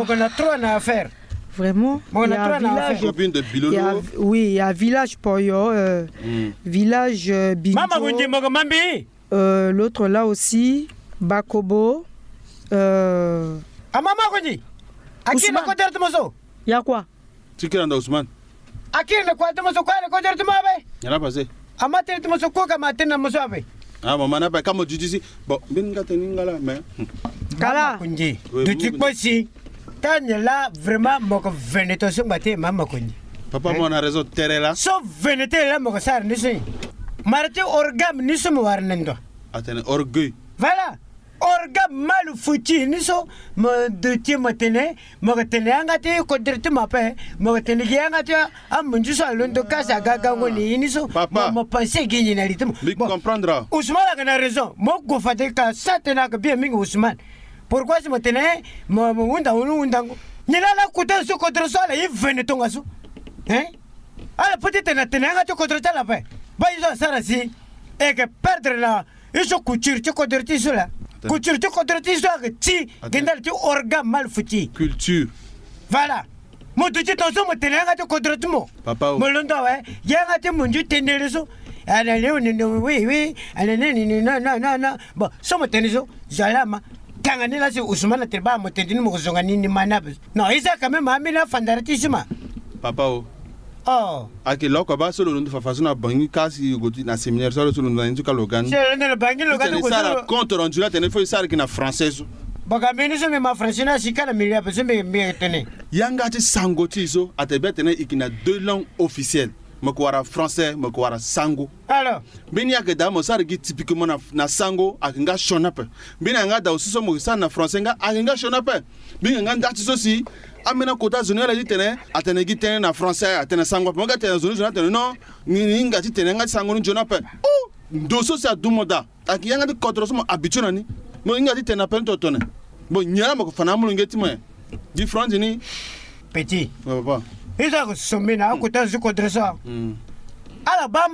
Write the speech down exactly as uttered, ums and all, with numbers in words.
On a trois na affaire. Vraiment. Bon, on a trois na affaire. Combien de Bilolo? Oui, il y a village Poyo, euh, village, euh, Bidjo. Mama Gunji, moko Mambi. Euh, l'autre là aussi, Bakobo. Euh, ah, Mama Gunji. Akina ko dert moso. Il y a quoi? Tikira nda Ousmane. Akiri na kua ti mo so kua na kodoro ti mo ape. Nyala pase. Ama tene ti mo so kua ka ma tene na mo so ape. Ah, mama na ba ka mo duti si. Bon, mbeni nga tene nga la, mais. Kala. Kunji. Duti kue si. Tani la vraiment mo ko vene to so ngba te mama kunji. Papa, mo na raison tere la. So vene te la mo ko sara ni so. Mara ti orgame ni so mo wara na ndo. Atene orgueil. Voilà. Orgame mal foutu ni so mo duti mo tene. Mo ko tene yanga ti kodro ti mo ape. Mo ko tene gi yanga ti amunzu so alondo kasa gagango ni ini so. Papa. Mo, mo pense gi ni na li ti mo. Bon, comprendre. Ousmane ayeke na raison. Mo gue fade ka sa tene ayeke bien mingi Ousmane. Pourquoi si mo tene mo, mo hunda unu hundango. Ni la la kota so kodro so ala ye vene tongaso. Hein? Ala peut ti tene atene yanga ti kodro ti ala ape. Baa ye so asara si e yeke perdre na. Ye so couture ti kodro ti so la. Couture ti kodro ti so ayeke ti. Gi ndali ti orgame mal foutu. Culture. Voilà. Mo duti tongaso mo tene yanga ti kodro ti mo. Papa o. Mo londo awe. Yanga ti munzu tendere so. Ala leo ni no, oui, oui. Ala ni ni no, no, no, no. Bon, so mo tene so. Zo ala ma. Tanga ni la si Ousmane atene baa mo tene ti ni mo ko zonga ni ni ma ni ape. Non, ye so quand même ambeni afandara ti so ma. Papa o. Oh. Ayeke lo oko baa so lo londo fafa so na Bangui ka si lo gue ti na séminaire so lo so lo londo na ni ti ka lo ga ni. Si lo londo na Bangui lo ga ti gue ti lo. Compte rendu la tene fo e sara gi na français so. Baka mbeni so mbi ma français ni asi ka na milieu ape so mbi, mbi tene. Yanga ti sango ti e so atene bien tene e gi na deux langues officielles. Mo ko wara français, mo ko wara sango. Alors. Mbeni ayeke daa mo sara gi typiquement na, na sango ayeke nga sioni ape. Mbeni ayeke nga daa aussi so mo sara na français nga ayeke nga sioni ape. Mbi yeke nga nda ti so si ambeni akota zo ni ala ti tene atene gi tënë na français atene sango ape. Mo ga tene na zo ni zo ni atene non. Ni, ni hinga ti tene yanga ti sango ni nzoni ape. Oh! Ndo so si adu mo daa. Ayeke yanga ti kodro so mo habitué na ni. Mo hinga ti tene na pene totene. Bon, nyen la mo yeke fa na amolenge ti mo nyen? Différence ni. Petit. Ouais, papa. Ye so ayeke sombi na akota zo ti kodro so. Hmm. Ala baa mba